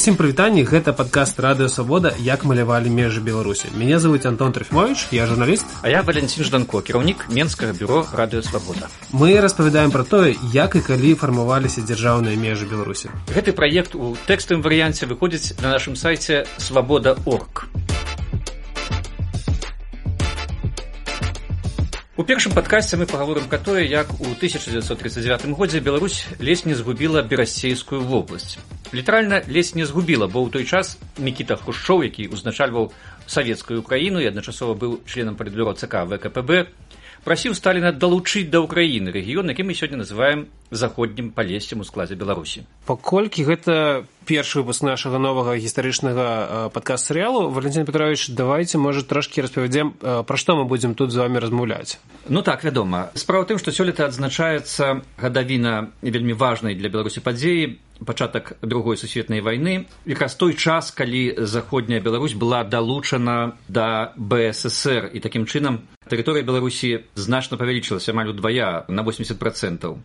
Усім прывітанні, гэта падкаст Радыё Свабода «Як малявалі межы Беларусі». Меня зовут Антон Трофимович, я журналіст. А я Валентин Жданко, кіраўнік Менскага бюро Радыё Свабода. Мы распавядаем пра тое, як і калі фармаваліся дзяржаўныя межы Беларусі. Гэты праект у тэкставым варыянце выходзіць на нашым сайце свабода.орг. У першым падкасце мы паговорым пра тое, як у 1939 годзе Беларусь ледзь не згубіла Берасцейскую вобласць. Літаральна ледзь не згубіла, бо ў той час Мікіта Хрушчоў, які ўзначальваў савецкую Украіну і адначасова быў членам палітбюро ЦК ВКПБ, прасіў Сталіна далучыць да Ўкраіны рэгіён, які мы сёння называем заходнім палессем у складзе Беларусі. Паколькі гэта першы выпуск нашага новага гістарычнага падкаст-серыялу, Валентин Петрович, давайте, можа, трошкі распавядзем, пра што мы будзем тут з вами размаўляць. Ну так, вядома. Справа ў тым, што сёлета адзначаецца гадавіна вельмі важнай для Беларусі падзеі, пачатак Другой сусветнай вайны, якраз той час, калі заходняя Беларусь была далучана да БССР, і такім чынам тэрыторыя Беларусі значна павялічылася амаль удвая, на 80%.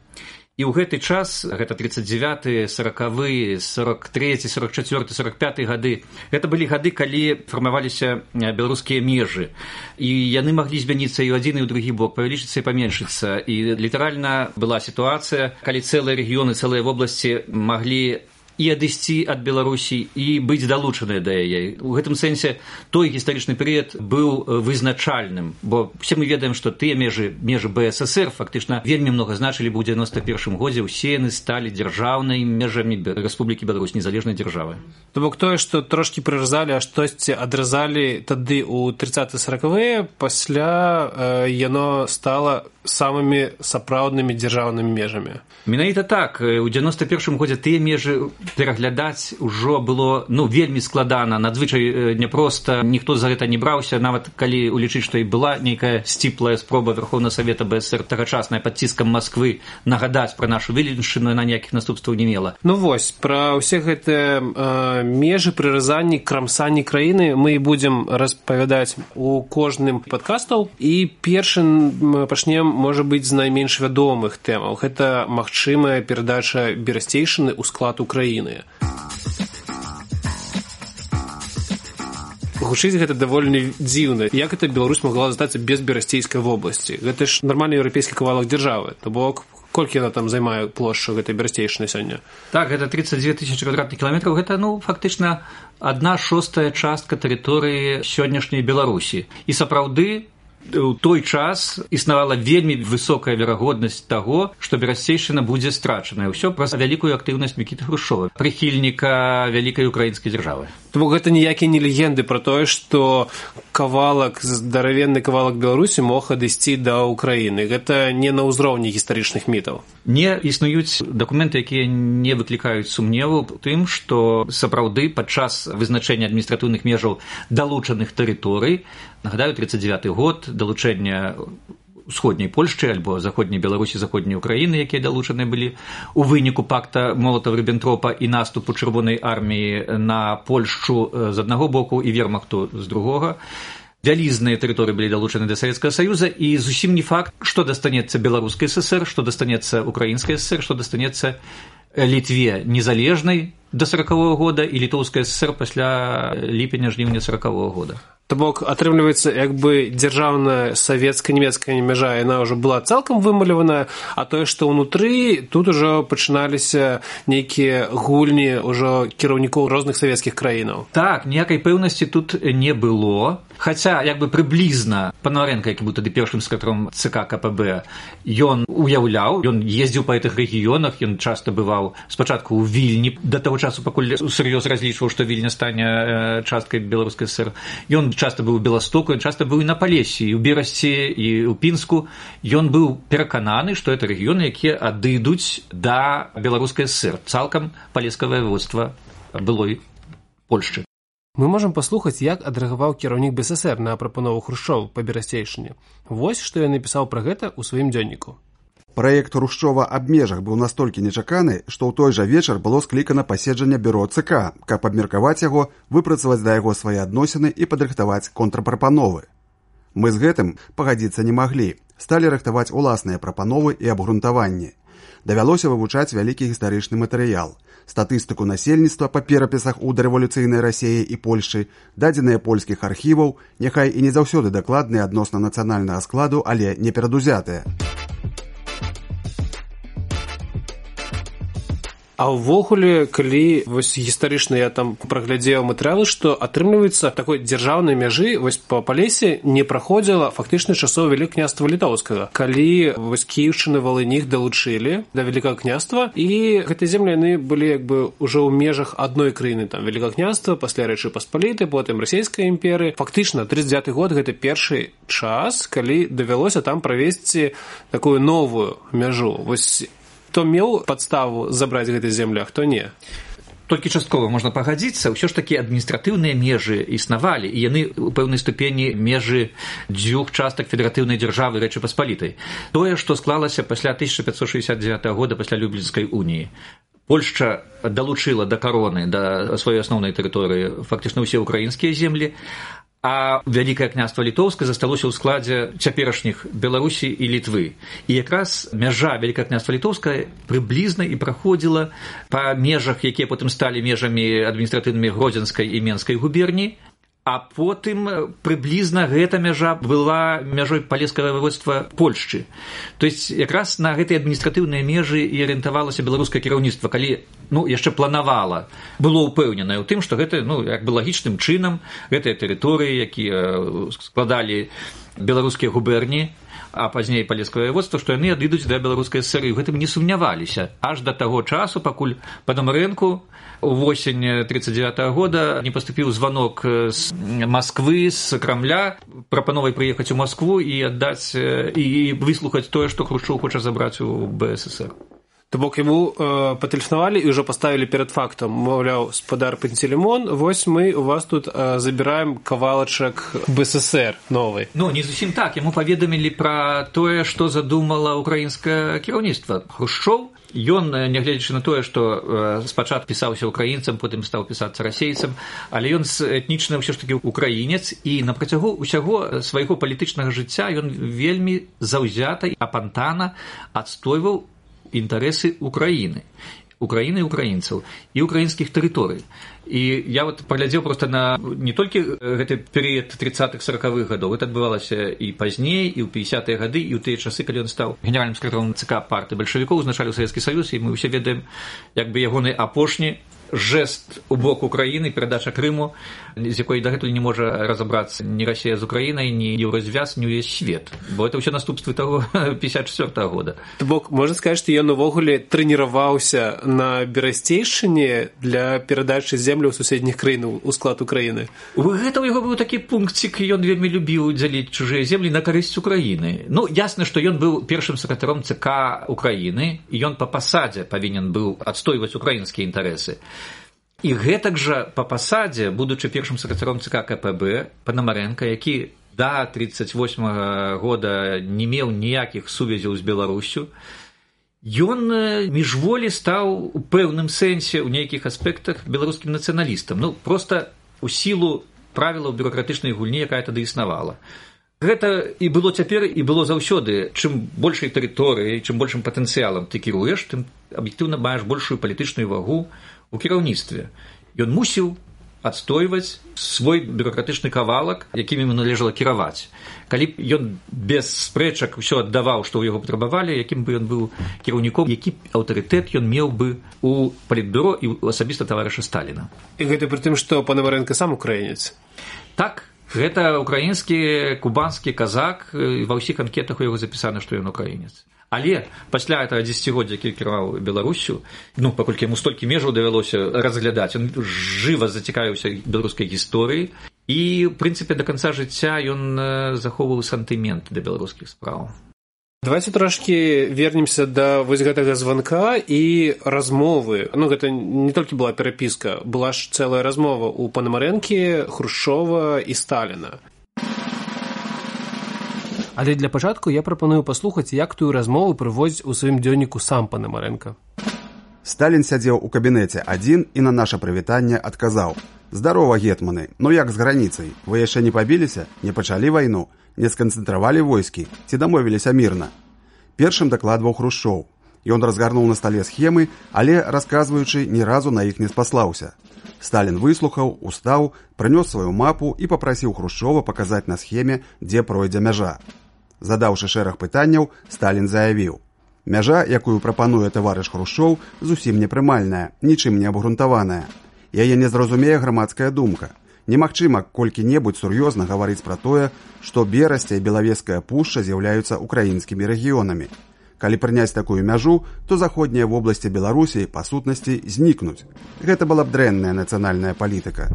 І ў гэты час, гэта 39-й, 40-й, 43-й, 44-й, 45-й гады, гэта былі гады, калі фармаваліся беларускія межы. І яны маглі змяніцца і ў адзін, і ў другі бок, павялічыцца і паменшыцца. І літаральна была сітуацыя, калі цэлыя рэгіёны, цэлыя вобласці маглі і адысці ад Беларусі і быць далучаныя да яе. У гэтым сэнсе той гістарычны перыяд быў вызначальным, бо все мы ведаем, што тыя межы БССР фактычна вельмі многа значылі, бо ў 91 годзе ўсе яны сталі дзяржаўнай межамі Рэспублікі Беларусь, незалежнай дзяржавы. То бок тое, што трошкі прыразалі, а штосьці адразалі тады ў 30-40-е, пасля яно стала самымі сапраўднымі дзяржаўнымі межамі. Менавіта так. У 91 годзе тыя межы пераглядаць ужо было вельмі складана, надзвычай няпроста, ніхто за гэта не браўся, нават калі улічыць, што і была нейкая сціплая спроба Верховнага Савета БСР тагачасная пад ціскам Масквы нагадаць пра нашу велічыну, на ніякіх наступстваў не мела. Ну вось, пра ўсе гэтыя межы, прыразанні, крамсанні краіны мы будзем распавядаць у кожным падкастаў, і першым пачнем, можа быць, з найменш вядомых тэмаў. Гэта магчымая перадача Берасцейшчыны ў склад Украіны. Гучыць гэта даволі дзіўна. Як гэта Беларусь могла застацца без Берасцейскай вобласці? Гэта ж нармальны еўрапейскі кавалак дзяржавы. То бок, колькі яна там займае плошчу гэтай Берасцейшчыны сёння? Так, гэта 32 000 квадратных кіламетраў. Гэта, фактычна, 1/6 частка тэрыторыі сённяшняй Беларусі. І сапраўды, у той час існавала вельмі высокая верагоднасць таго, што Берасцейшчына будзе страчаная. Ўсё праз вялікую актыўнасць Мікіты Хрушчова, прыхільніка вялікай украінскай дзяржавы. То гэта ніякія не легенды пра тое, што здаравенны кавалак Беларусі мог адысці да Украіны. Гэта не на ўзроўні гістарычных мітаў. Не існуюць дакументы, якія не выклікаюць сумневу тым, што сапраўды падчас вызначэння адміністратыўных межаў далучаных тэрыторый, нагадаю, 39-й год, далучэння усходняй Польшчы альбо заходняй Беларусі, заходняй Украіны, якія далучаныя былі у выніку пакта Молатава-Ріббентропа і наступу Чырвонай арміі на Польшчу з аднаго боку і вермахту з другога. Вялізныя тэрыторыі былі далучаны да Савецкага Саюза, і зусім не факт, што дастанецца Беларускай ССР, што дастанецца Украінскай ССР, што дастанецца Літве незалежнай да 40-го года і Літоўскай ССР пасля ліпеня-жніўня 40-го года. То бок, атрымліваецца, як бы дзяржаўная савецка-нямецкая мяжа, яна ўжо была цалкам вымаляваная, а тое, што ўнутры, тут ужо пачыналіся нейкія гульні ўжо кіраўнікоў розных савецкіх краінаў. Так, ніякай пэўнасці тут не было. Хаця, як бы прыблізна, Панаварэнка, які быў тады першым сакратаром ЦК КПБ, ён уяўляў, ён ездзіў па гэтых рэгіёнах, ён часта бываў спачатку ў Вільні, да таго часу, пакуль сур'ёз разлічваў, што Вільня стане часткай Беларускай ССР. Ён часта быў у Беластоку, ён часта быў і на Палесі, і ў Берасці, і ў Пінску. Ён быў перакананы, што гэта рэгіёны, якія адыдуць да Беларускай ССР, цалкам палескае воеводства былой Польшчы. Мы можам паслухаць, як адрэагаваў кіраўнік БССР на прапанову Хрушчова па Берасцейшчыне. Вось, што ён напісаў пра гэта ў сваім дзённіку. Праект Хрушчова аб межах быў настолькі нечаканы, што ў той жа вечар было склікана паседжанне бюро ЦК, каб абмеркаваць яго, выпрацаваць да яго свае адносіны і падрыхтаваць контрпрапановы. Мы з гэтым пагадзіцца не маглі, сталі рыхтаваць уласныя прапановы і абгрунтаванні. Давялося вывучаць вялікі гістарычны матэрыял, статыстыку насельніцтва па перапісах у дарэвалюцыйнай Расіі і Польшчы, дадзеныя польскіх архіваў, няхай і не заўсёды дакладныя адносна нацыянальнага складу, але не перадузятыя. А ўвогуле, калі вось гістарычна я там праглядзеў матэрыялы, што атрымліваецца такой дзяржаўнай мяжы вось па Палесе не праходзіла фактычна часоў Вялікага княства Літоўскага, калі вось Кіеўшчына, Валынь іх далучылі да Вялікага княства, і гэтыя землі яны былі як бы ўжо ў межах адной краіны, там Вялікага княства, пасля Рэчы Паспалітай, потым Расійскай імперыі. Фактычна 39-й год гэта першы час, калі давялося там правесці такую новую мяжу. Вось хто меў падставу забраць гэтыя землі, а хто не. Толькі часткова можна пагадзіцца, ўсё ж такі адміністратыўныя межы існавалі, і яны ў пэўнай ступені межы дзвюх частак федэратыўнай дзяржавы Рэчы Паспалітай. Тое, што склалася пасля 1569 года, пасля Люблінскай уніі. Польшча далучыла да кароны, да сваёй асноўнай тэрыторыі фактычна ўсе ўкраінскія землі, а Вялікае княства Літоўскае засталося ў складзе цяперашніх Беларусі і Літвы. І якраз мяжа Вялікае княства Літоўскае прыблізна і праходзіла па межах, якія потым сталі межамі адміністратыўнымі Гродзенскай і Менскай губерні, а потым прыблізна гэта мяжа была мяжой палескага ваеводства Польшчы. То есть якраз на гэтыя адміністратыўныя межы і арыентавалася беларускае кіраўніцтва, калі яшчэ планавала, было ўпэўненае ў тым, што гэта як бы лагічным чынам гэтыя тэрыторыі, якія складалі беларускія губерні, а пазней палескае ваеводства, што яны адыдуць да беларускай ССР, і ў гэтым не сумняваліся аж да таго часу, пакуль Панамарэнку увосень 1939 года не паступіў званок з Масквы, з Крамля, прапановай прыехаць у Маскву і аддаць і выслухаць тое, што Хрушчоў хоча забраць у БССР. То бок яму патэлефанавалі і ўжо паставілі перад фактам, маўляў, спадар Пантелеймон, вось мы у вас тут забіраем кавалачак БССР новый. Не зусім так, яму паведамілі пра тое, што задумала ўкраінскае кіраўніцтва. Хрушчоў, ён, нягледзячы на тое, што спачатку пісаўся ўкраінцам, потым стаў пісацца расейцам, але ён этнічны ўсё ж такі ўкраінец, і на працягу ўсяго свайго палітычнага жыцця ён вельмі заўзята і апантана адстойваў інтарэсы Украіны і украінцаў і украінскіх тэрыторый. І я паглядзеў проста на не толькі гэты перыяд 30-40-х гадоў, гэта адбывалася і пазней, і ў 50-е гады, і ў тыя часы, калі ён стаў генеральным сакратаром ЦК партыі бальшавікоў, узначаліў Савецкі Саюз, і мы ўсе ведаем як бы ягоны апошні жест у бок Украіны, перадача Крыму, з якой дагэтуль не можа разабрацца ні Расія з Украінай, ні Еўразвяз, ні ўвесь свет, бо это ўсё наступствы таго 54-го года. То бок, можна сказаць, што ён увогуле трэніраваўся на Берасцейшчыне для перадачы землі ў суседніх краін у склад Украіны. Гэта ў яго быў такі пункцік, ён вельмі любіў дзяліць чужыя землі на карысць Украіны. Ясна, што ён быў першым сакратаром ЦК Украіны, і ён па пасадзе павінен быў адстойваць украінскія інтарэсы. І гэтак жа па пасадзе, будучы першым сакратаром ЦК КПБ, Панамарэнка, які да 1938 года не меў ніякіх сувязяў з Беларусю, ён міжволі стаў у пэўным сэнсе, у нейкіх аспектах, беларускім нацыяналістам. Проста у сілу правілаў бюракратычнай гульні, якая тады існавала. Гэта і было цяпер, і было заўсёды. Чым большай тэрыторыяй, чым большым патэнцыялам ты кіруеш, тым аб'ектыўна маеш большую палітычную вагу у кіраўніцтве. Ён мусіў адстойваць свой бюракратычны кавалак, якім ему належала кіраваць. Калі б ён без спрэчак усё аддаваў, што ў яго патрабавалі, якім бы ён быў кіраўніком, які аўтарытэт ён меў бы у палітбюро і асабіста таварыша Сталіна. І гэта пры тым, што Панамарэнка сам украінец. Так, гэта украінскі, кубанскі казак, ва ўсіх анкетах у яго запісана, што ён украінец. Але пасля этого дзесяцігоддзя, які кіраваў Беларусю, паколькі яму столькі межаў давялося разглядаць, ён жыва зацікавіўся беларускай гісторыяй, і, в прынцыпе, да канца жыцця ён захоўваў сантымент да беларускіх спраў. Давайте трошкі вернемся да вось гэтага званка і размовы. Гэта не толькі была перапіска, была ж цэлая размова ў Панамарэнкі, Хрушчова і Сталіна. Але для пачатку я прапаную паслухаць, як тую размову прыводзіць у сваім дзённіку сам Панамарэнка. Сталін сядзеў у кабінеце адзін і на наша прывітанне адказаў: «Здарова, гетманы, як з граніцай? Вы яшчэ не пабіліся? Не пачалі вайну? Не сканцэнтравалі войскі? Ці дамовіліся мірна?» Першым дакладваў Хрушчоў. Ён разгарнуў на стале схемы, але, расказваючы, ні разу на іх не спаслаўся. Сталін выслухаў, устаў, прынёс сваю мапу і папрасіў Хрушчова паказаць на схеме, дзе пройдзе мяжа. Задаўшы шэраг пытанняў, Сталін заявіў: «Мяжа, якую прапануе таварыш Хрушчоў, зусім непрымальная, нічым не абгрунтаваная. Яе не зразумее грамадская думка. Немагчыма колькі-небудзь сур'ёзна гаварыць пра тое, што Берасця і Белавежская пушча з'яўляюцца украінскімі рэгіёнамі. Калі прыняць такую мяжу, то заходнія вобласці Беларусі, па сутнасці, знікнуць. Гэта была б дрэнная нацыянальная палітыка».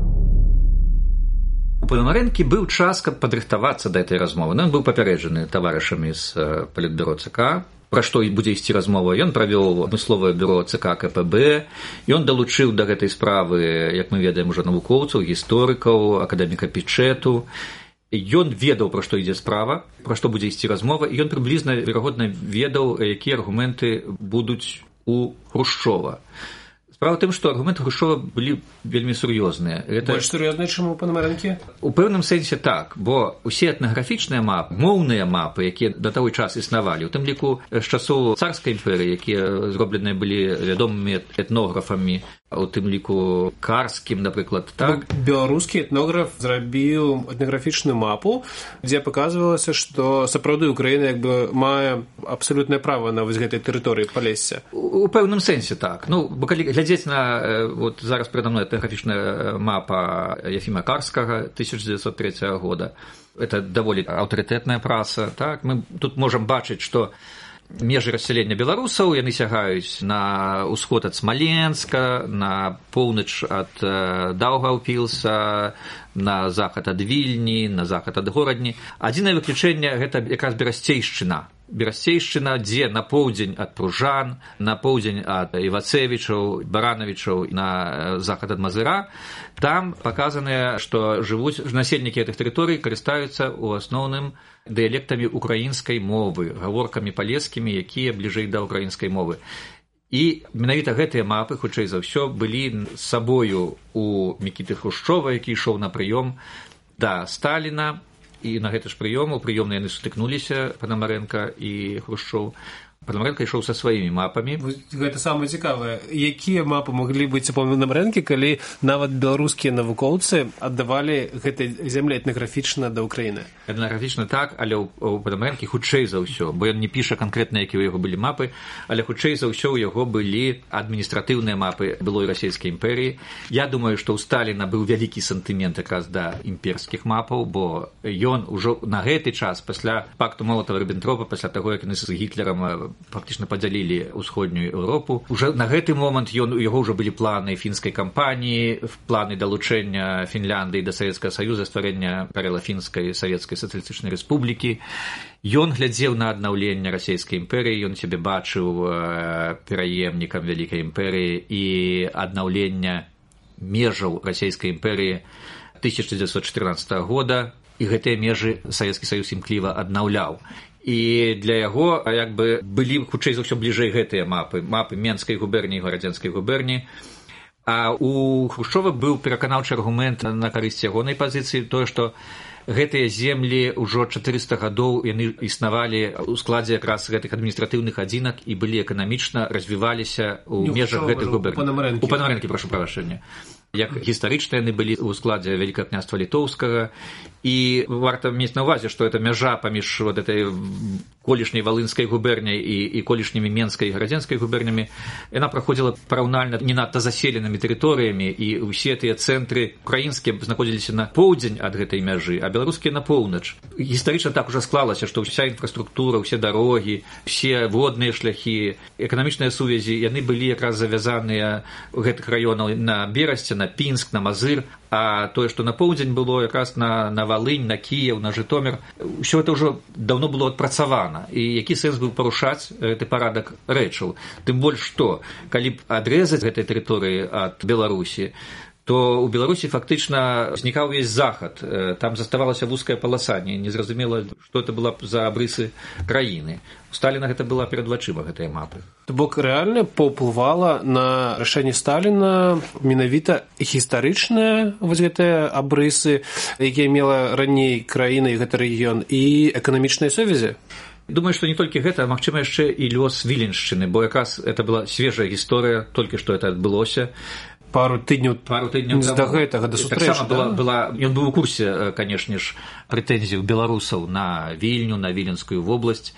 У Пономарэнкі быў час, каб падрыхтавацца да гэтай размовы. Ён быў папярэджаны таварышамі з палітбюро ЦК, пра што будзе ісці размова. Ён правёў адмысловае бюро ЦК КПБ, ён далучыў да гэтай справы, як мы ведаем, ужо навукоўцаў, гісторыкаў, акадэміка Пічэту. Ён ведаў, пра што ідзе справа, пра што будзе ісці размова, і ён прыблізна, верагодна, ведаў, якія аргументы будуць у Хрушчова. Справа ў тым, што аргументы Хрушчова былі вельмі сур'ёзныя. Больш сур'ёзныя, чым у Пономарэнкі? У пэўным сэнсе так, бо ўсе этнаграфічныя мапы, моўныя мапы, якія да таго час існавалі, у тым ліку з часоў царскай імперыі, якія зробленыя былі вядомымі этнографамі, у тым ліку Карскім, напрыклад, так. Беларускі этнограф зрабіў этнаграфічную мапу, дзе паказвалася, што сапраўды Украіна як бы мае абсалютнае права на вось гэтай тэрыторыі Палесся. У пэўным сэнсе так. Ну, бо калі глядзець на вот зараз перада мной этнаграфічная мапа Ефіма Карскага 1903 года, это даволі аўтарытэтная праса, так. Мы тут можам бачыць, што межы рассялення беларусаў, яны сягаюць на ўсход ад Смаленска, на поўнач ад Даўгаўпілса, на захад ад Вільні, на захад ад Горадні. Адзінае выключэнне – гэта якраз Берасцейшчына. Берасцейшчына, дзе на поўдзень ад Пружан, на поўдзень ад Івацевічаў, Баранавічаў, на захад ад Мазыра, там паказаныя, што жывуць насельнікі гэтых тэрыторый, карыстаюцца ў асноўным дыялектамі украінскай мовы, гаворкамі палескімі, якія бліжэй да украінскай мовы. І менавіта гэтыя мапы, хутчэй за ўсё, былі з сабою у Мікіты Хрушчова, які ішоў на прыём да Сталіна, і на гэты ж прыём, у прыёмны яны сутыкнуліся, Пономарэнка і Хрушчоў. Пономарэнка ішоў са сваімі мапамі. Гэта самае цікавае. Якія мапы маглі быць у Пономарэнкі, калі нават беларускія навукоўцы аддавалі гэтай зямлі этнаграфічна да Ўкраіны? Этнаграфічна так, але у Пономарэнкі хутчэй за ўсё, бо ён не піша канкрэтна, якія ў яго былі мапы, але хутчэй за ўсё ў яго былі адміністратыўныя мапы былой расійскай імперыі. Я думаю, што ў Сталіна быў вялікі сантымент якраз да імперскіх мапаў, бо ён ужо на гэты час, пасля пакту Молатава-Ріббентропа, пасля таго, як яны з Гітлерам фактычна падзялілі ўсходнюю Еўропу. Уже на гэты момант у яго ўжо былі планы фінскай кампаніі, планы далучэння Фінляндыі да Савецкага Саюза, стварэння Карэла-фінскай савецкай сацыялістычнай рэспублікі. Ён глядзеў на аднаўленне расійскай імперыі, ён сябе бачыў пераемнікам вялікай імперыі і аднаўлення межаў расійскай імперыі 1914 года, і гэтыя межы Савецкі Саюз імкліва аднаўляў. І для яго як бы былі хутчэй за ўсё бліжэй гэтыя мапы Менскай губерніі і Гарадзенскай губерніі. А у Хрушчова быў пераканаўчы аргумент на карысць ягонай пазіцыі, тое, што гэтыя землі ўжо 400 гадоў яны існавалі ў складзе якраз гэтых адміністратыўных адзінак і былі эканамічна развіваліся ў межах гэтых губерній. У Пономарэнкі, прашу прабачэння. Як гістарычна яны былі ў складзе Вялікага княства Літоўскага. І варта мець на ўвазе, што эта мяжа паміж вот этой колішняй Валынскай губерняй і колішнімі Менскай і Гарадзенскай губернямі, яна праходзіла параўнальна не надта заселенымі тэрыторыямі, і ўсе тыя цэнтры украінскія знаходзіліся на поўдзень ад гэтай мяжы, а беларускія на поўнач. Гістарычна так ужо склалася, што ўся інфраструктура, ўсе дарогі, усе водныя шляхі, эканамічныя сувязі, яны былі якраз завязаныя ў гэтых раёнах на Берасце, на Пінск, на Мазыр, а тое, што на поўдзень было якраз на Валынь, на Кіеў, на Жытомір, усё гэта ўжо даўно было адпрацавана. І які сэнс быў парушаць гэты парадак рэчаў? Тым больш што, калі б адрэзаць гэтай тэрыторыі ад Беларусі, то ў Беларусі фактычна знікаў увесь захад. Там заставалася вузкая паласа, незразумела, што это была за абрысы краіны. У Сталіна гэта была перад вачыма, гэтыя мапы. То бок рэальна паўплывала на рашэнне Сталіна менавіта гістарычныя вось гэтыя абрысы, якія мела раней краіна і гэты рэгіён, і эканамічныя сувязі? Думаю, што не толькі гэта, а магчыма яшчэ і лёс Віленшчыны, бо якраз это была свежая гісторыя, толькі што это адбылося. Пару тыдняў да гэтага, да сустрэчы, да? Ён быў у курсе, канешне ж, прэтэнзій беларусаў на Вільню, на Віленскую вобласць,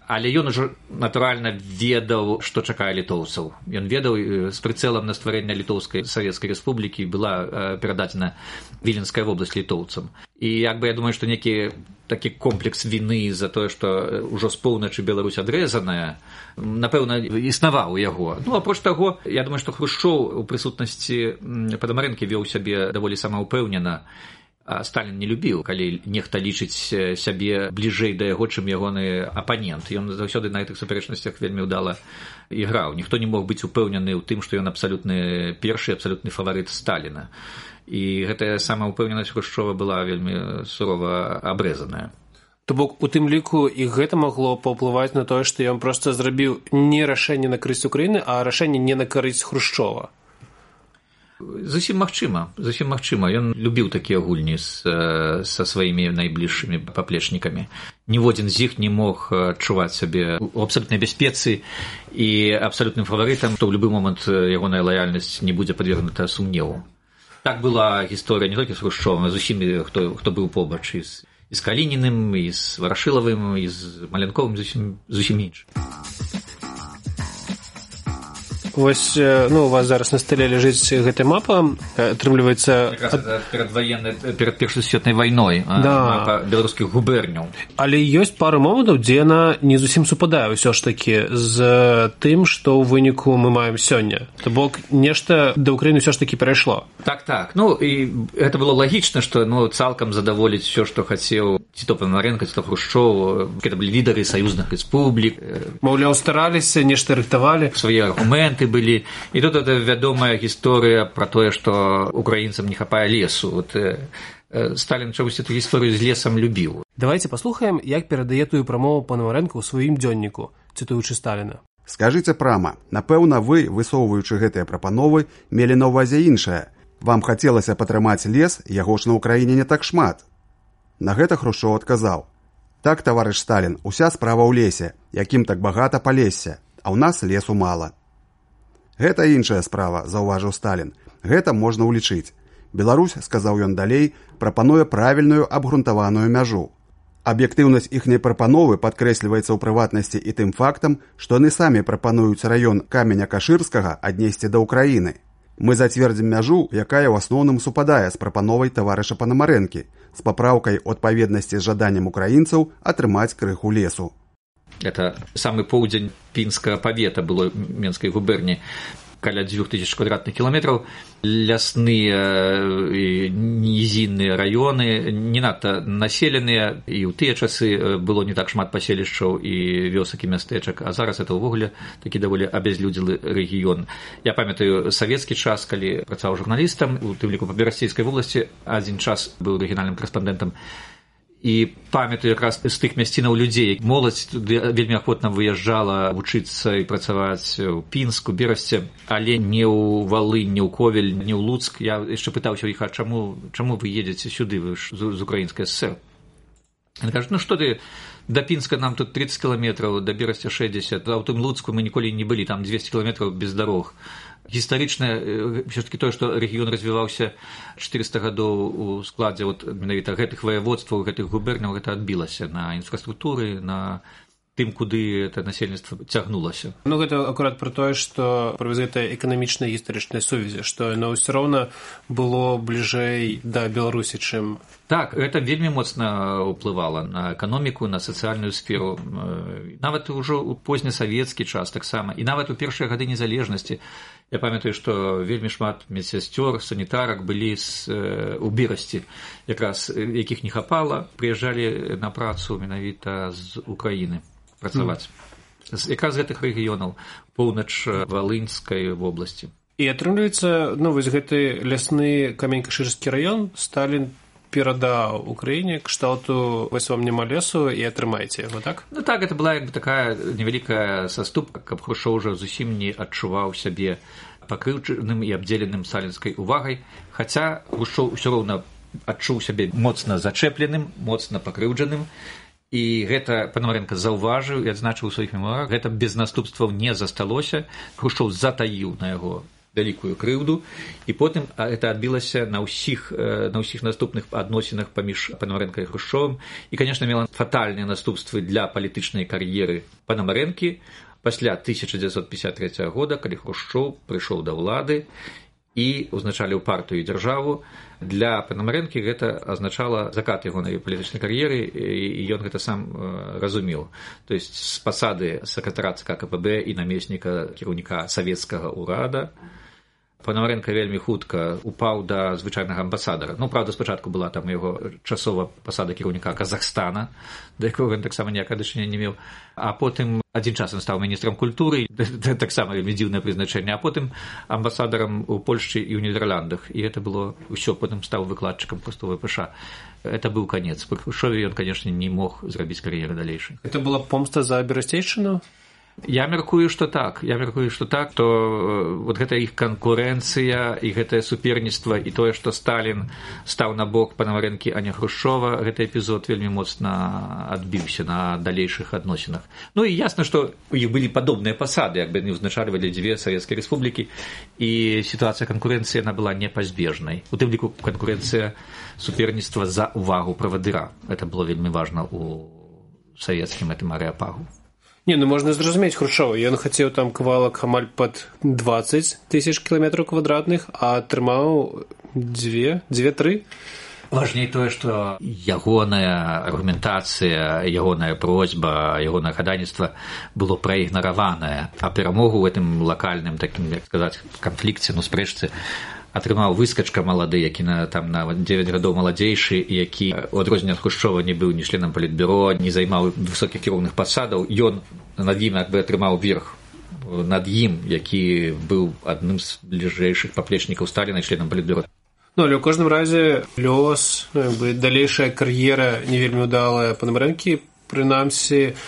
але ён ужо, натуральна, ведаў, што чакае літоўцаў. Ён ведаў, з прыцэлам на стварэнне Літоўскай Савецкай Рэспублікі была перададзена Віленская вобласць літоўцам. І як бы я думаю, што некі такі комплекс віны за тое, што ўжо з поўначы Беларусь адрэзаная, напэўна, існаваў у яго. Ну, апроч таго, я думаю, што Хрушчоў у прысутнасці Панамарэнкі вёў сябе даволі самаўпэўнена. А Сталін не любіў, калі нехта лічыць сябе бліжэй да яго, чым ягоны апанент. Ён заўсёды на гэтых супярэчнасцях вельмі ўдала іграў. Ніхто не мог быць упэўнены ў тым, што ён абсалютны першы, абсалютны фаварыт Сталіна. І гэтая самаўпэўненасць Хрушчова была вельмі сурова абрэзаная. То бок у тым ліку і гэта магло паўплываць на тое, што ён проста зрабіў не рашэнне на карысць Украіны, а рашэнне не на карысць Хрушчова. Зусім магчыма. Ён любіў такія гульні са сваімі найбліжшымі паплечнікамі. Ніводзін з іх не мог адчуваць сябе ў абсалютнай бяспецы і абсалютным фаварытам, што ў любы момант ягоная лаяльнасць не будзе падвергнута сумневу. Так была гісторыя не толькі з Хрушчовым, а з усімі, хто быў побач, і з Калініным, і з Варашылавым, і з Маленковым, зусім інш. Вось, у вас зараз на стале ляжыць гэтая мапа, атрымліваецца... Перад Першай сусветнай вайной, мапа беларускіх губерняў. Але ёсць пару момантаў, дзе яна не зусім супадае ўсё ж такі з тым, што ў выніку мы маем сёння. То бок, нешта да Ўкраіны ўсё ж такі перайшло. Так. І гэта было лагічна, што цалкам задаволіць усё, што хацеў ці то Панамарэнка, ці то Хрушчоў. Гэта былі лідары саюзных рэспублік. Маўляў, стараліся, нешта рыхтавалі. Свае аргументы былі. І тут это вядомая гісторыя пра тое, што украінцам не хапае лесу. Сталін чамусь эту гісторыю з лесам любіў. Давайте паслухаем, як перадае тую прамову Панамарэнка ў сваім дзённіку, цытуючы Сталіна. Скажыце прама, напэўна, вы, высоўваючы гэтыя прапановы, мелі на ўвазе іншае. Вам хацелася патрымаць лес, яго ж на ўкраіне не так шмат. На гэта Хрушчоў адказаў: так, таварыш Сталін, уся справа ў лесе, якім так багата палесся, а ў нас лесу мала. Гэта іншая справа, заўважыў Сталін. Гэта можна ўлічыць. Беларусь, сказаў ён далей, прапануе правільную абгрунтаваную мяжу. Аб'ектыўнасць іхняй прапановы падкрэсліваецца ў прыватнасці і тым фактам, што яны самі прапануюць раён Каменя-Кашырскага аднесці да Ўкраіны. Мы зацвердзім мяжу, якая ў асноўным супадае з прапановай таварыша Панамарэнкі, з папраўкай у адпаведнасці з жаданнем украінцаў атрымаць крыху лесу. Это самы поўдзень пінскага павета было Менскай губерні, каля 2000 квадратных кіламетраў, лясныя і нізінныя раёны, не надта населеныя, і ў тыя часы было не так шмат паселішчаў і вёсак і мястэчак, а зараз это ўвогуле такі даволі абязлюдзелы рэгіён. Я памятаю савецкі час, калі працаваў журналістам, у тым ліку па Берасцейскай вобласці, адзін час быў рэгіянальным карэспандэнтам. І памятаю якраз з тых мясцінаў людзей. Моладзь вельмі ахвотна выязджала вучыцца і працаваць у Пінску, Берасці, але не ў Валынь, не ў Ковель, не ў Луцк. Я яшчэ пытаўся ў іх, а чаму вы едзеце сюды, вы ж з Украінскай ССР? Яны кажуць, што ты, да Пінска нам тут 30 кіламетраў, да Берасця 60, а ў тым Луцку мы ніколі не былі, там 200 кіламетраў без дарог. Гістарычна ўсё-такі тое, што рэгіён развіваўся 400 гадоў у складзе менавіта гэтых ваяводстваў, гэтых губерняў, гэта адбілася на інфраструктуры, на тым, куды это насельніцтва цягнулася. Гэта акурат пра тое, што пра гэтая эканамічная гістарычная сувязі, што яно ўсё роўна было бліжэй да Беларусі, чым... Так, гэта вельмі моцна ўплывала на эканоміку, на сацыяльную сферу. Нават ужо ў познесавецкі час таксама, і нават у першыя гады незалежнасці. Я памятаю, што вельмі шмат медсясцёр, санітарак былі у Берасці, якраз якіх не хапала, прыязджалі на працу менавіта з Украіны працаваць. Якраз з гэтых рэгіёнаў, поўнач Валынскай вобласці. І атрымліваецца, вось гэты лясны Камень-Кашырскі раён Сталін перадаў Украіне кшталту «вось вам няма лесу і атрымайце яго», так? Так, это была як бы такая невялікая саступка, каб Хрушчоў уже зусім не адчуваў сябе пакрыўджаным і абдзеленым сталінскай увагай, хаця Хрушчоў усё роўна адчуў сябе моцна зачэпленым, моцна пакрыўджаным, І гэта Пономаренко заўважыў і адзначыў у сваіх мемуарах. Гэта без наступстваў не засталося. Хрушчоў затаіў на яго вялікую крыўду, і потым гэта адбілася на ўсіх наступных адносінах паміж Пономаренко і Хрушчовым. І, канешне, мела фатальныя наступствы для палітычнай кар'еры Пономаренкі пасля 1953 года, калі Хрушчоў прыйшоў да ўлады і узначаліў партыю і дзяржаву. Для Пономаренкі гэта азначала закат ягонай палітычнай кар'еры, і ён гэта сам разумеў. То есть з пасады сакратара ЦК КПБ і намесніка кіраўніка савецкага ўрада Пономаренко вельмі хутка упаў да звычайнага амбасадара. Ну, правда, спачатку была там яго часова пасада кіраўніка Казахстана, да якога ён таксама ніякага дачынення не меў. А потым адзін час ён стаў міністрам культуры, таксама вельмі дзіўнае прызначэнне, а потым амбасадарам у Польшчы і ў Нідерландах. І гэта было ўсё, потым стаў выкладчыкам проста ВПШ. Это быў канец. Пры Хрушчове ён, канешне, не мог зрабіць кар'еры далейшай. Это была помста за Берасцейшчыну? Я мяркую, што так, то вот гэта іх канкурэнцыя і гэтае суперніцтва і тое, што Сталін стаў на бок Пономаренкі, а не Хрушчова, гэты эпізод вельмі моцна адбіўся на далейшых адносінах. Ну і ясна, што у іх былі падобныя пасады, як бы яны ўзначальвалі дзве савецкія рэспублікі, і сітуацыя канкурэнцыі яна была непазбежнай. У тым ліку канкурэнцыя суперніцтва за ўвагу правадыра. Гэта было вельмі важна у савецкім гэтым арэапагу. Не, ну можна зразумець Хрушчова. Ён хацеў там кавалак амаль пад 20 000 кіламетраў квадратных, а атрымаў 2-3. Важней тое, што ягоная аргументацыя, ягоная просьба, ягонае хадайніцтва было праігнараванае, а перамогу ў гэтым лакальным, такім, як сказаць, канфлікце, спрэчцы атрымаў выскачка малады, які там на 9 гадоў маладзейшы, які у адрозненне ад Хрушчова не быў ні членам палітбюро, не займаў высокіх кіроўных пасадаў. Ён над ім як бы атрымаў верх над ім, які быў адным з бліжэйшых паплечнікаў Сталіна і членам палітбюро. Ну, але ў кожным разе лёс, далейшая кар'ера не вельмі ўдалая Пономаренкі, прынамсі,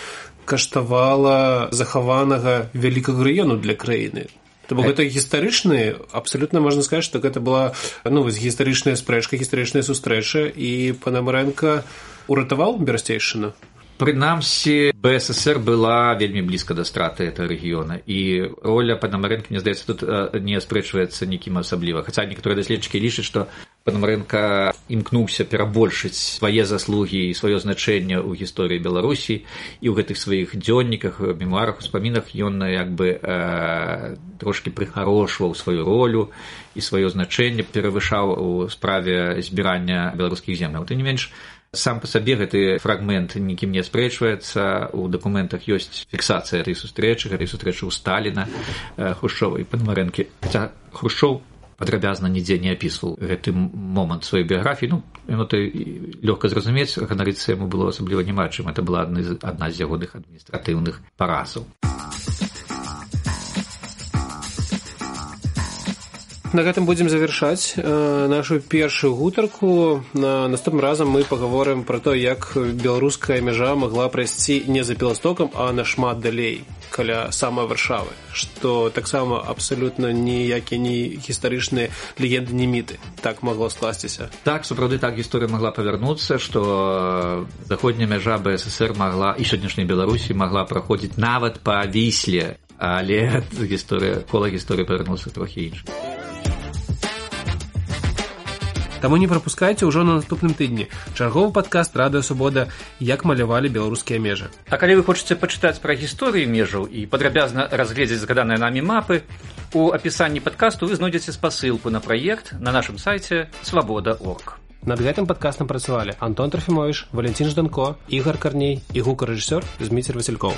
каштавала захаванага вялікага раёну для краіны. То бок гэта гістарычны, абсалютна можна сказаць, што гэта была гістарычная спрэчка, гістарычная сустрэча, і Пономаренко уратаваў Берасцейшчыну. Прынамсі, БССР была вельмі блізка да страты гэтага рэгіёна, і роля Пономаренко, мне здаецца, тут не аспрэчваецца нікім асабліва. Хаця некаторыя даследчыкі лічаць, што Пономаренко імкнуўся перабольшыць свае заслугі і сваё значэнне ў гісторыі Беларусі, і ў гэтых сваіх дзённіках, мемуарах, успамінах ён як бы трошкі прыхарошваў сваю ролю і сваё значэнне перавышаў у справе збірання беларускіх земляў. Тым не менш, сам па сабе гэты фрагмент нікім не аспрэчваецца. У дакументах ёсць фіксацыя гэтай сустрэчы ў Сталіна, Хрушчова і Пономаренкі. Хаця Хрушчоў падрабязна нідзе не апісваў гэты момант сваёй біяграфіі. Ну, то лёгка зразумець, ганарыцца яму было асабліва няма чым. Гэта была адна з ягоных адміністратыўных паразаў. На гэтым будзем завяршаць нашу першую гутарку. Наступным разам мы пагаворым пра то, як беларуская мяжа магла прайсці не за Беластокам, а нашмат далей, каля самай Варшавы, што таксама абсалютна ніякія не гістарычныя легенды, не міты. Так магло скласціся. Так, сапраўды, так гісторыя магла павярнуцца, што заходняя мяжа БССР магла і сённяшняй Беларусі магла праходзіць нават па Вісле, але кола гісторыі павярнулася трохі іншым. Таму не прапускайце ўжо на наступным тыдні чарговы падкаст «Радыё Свабода. Як малявалі беларускія межы». А калі вы хочаце пачытаць пра гісторыю межаў і падрабязна разгледзець згаданыя намі мапы, у апісанні падкасту вы знойдзеце спасылку на праект на нашым сайце свабода.орг. Над гэтым падкастам працавалі Антон Трофімовіч, Валентин Жданко, Ігор Карней і гукарэжысёр Зміцер Васількоў.